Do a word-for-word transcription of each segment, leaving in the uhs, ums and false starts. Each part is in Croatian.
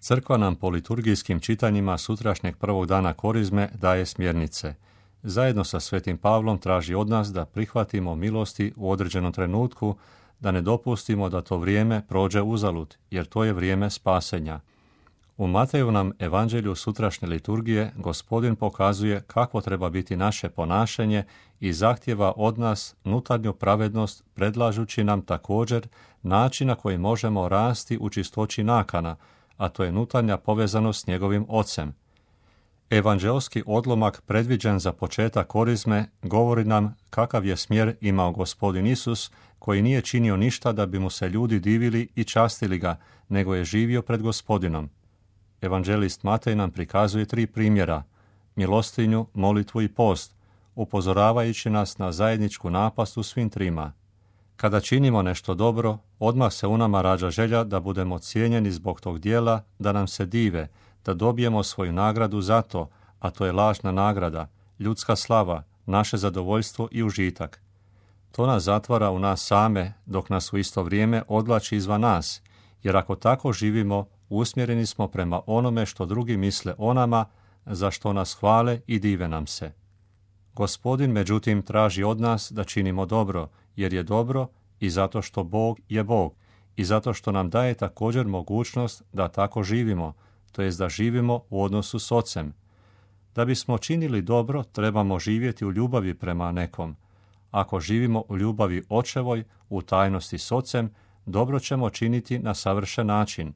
Crkva nam po liturgijskim čitanjima sutrašnjeg prvog dana Korizme daje smjernice. Zajedno sa Svetim Pavlom traži od nas da prihvatimo milosti u određenom trenutku, da ne dopustimo da to vrijeme prođe uzalud, jer to je vrijeme spasenja. U Mateju nam evanđelju sutrašnje liturgije Gospodin pokazuje kakvo treba biti naše ponašanje i zahtjeva od nas nutarnju pravednost, predlažući nam također način na koji možemo rasti u čistoći nakana, a to je nutarnja povezanost s njegovim Ocem. Evanđelski odlomak predviđen za početak Korizme govori nam kakav je smjer imao Gospodin Isus, koji nije činio ništa da bi mu se ljudi divili i častili ga, nego je živio pred Gospodinom. Evanđelist Matej nam prikazuje tri primjera: milostinju, molitvu i post, upozoravajući nas na zajedničku napast u svim trima. Kada činimo nešto dobro, odmah se u nama rađa želja da budemo cijenjeni zbog tog dijela, da nam se dive, da dobijemo svoju nagradu za to, a to je lažna nagrada, ljudska slava, naše zadovoljstvo i užitak. To nas zatvara u nas same, dok nas u isto vrijeme odvlači izvan nas, jer ako tako živimo, usmjereni smo prema onome što drugi misle o nama, za što nas hvale i dive nam se. Gospodin, međutim, traži od nas da činimo dobro, jer je dobro i zato što Bog je Bog, i zato što nam daje također mogućnost da tako živimo, to jest da živimo u odnosu s Ocem. Da bismo činili dobro, trebamo živjeti u ljubavi prema nekom. Ako živimo u ljubavi Očevoj, u tajnosti s Ocem, dobro ćemo činiti na savršen način.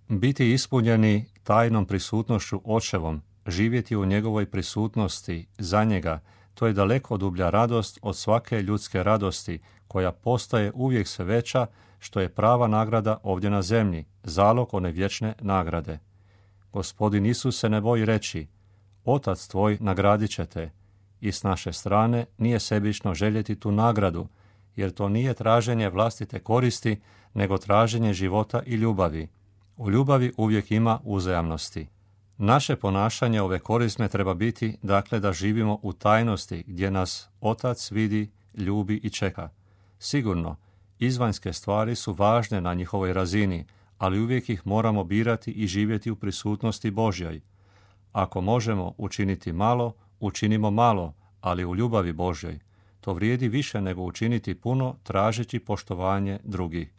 Biti ispunjeni tajnom prisutnošću Očevom, živjeti u njegovoj prisutnosti za njega, to je daleko dublja radost od svake ljudske radosti, koja postaje uvijek sve veća, što je prava nagrada ovdje na zemlji, zalog one vječne nagrade. Gospodin Isus se ne boji reći: Otac tvoj nagradit će te, i s naše strane nije sebično željeti tu nagradu, jer to nije traženje vlastite koristi, nego traženje života i ljubavi. U ljubavi uvijek ima uzajamnosti. Naše ponašanje ove Korizme treba biti, dakle, da živimo u tajnosti gdje nas Otac vidi, ljubi i čeka. Sigurno, izvanjske stvari su važne na njihovoj razini, ali uvijek ih moramo birati i živjeti u prisutnosti Božjoj. Ako možemo učiniti malo, učinimo malo, ali u ljubavi Božjoj. To vrijedi više nego učiniti puno tražeći poštovanje drugih.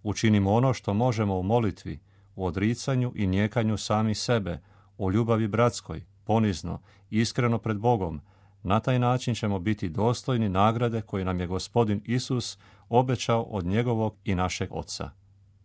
Učinimo ono što možemo u molitvi, u odricanju i nijekanju sami sebe, u ljubavi bratskoj, ponizno, iskreno pred Bogom. Na taj način ćemo biti dostojni nagrade koju nam je Gospodin Isus obećao od njegovog i našeg Oca.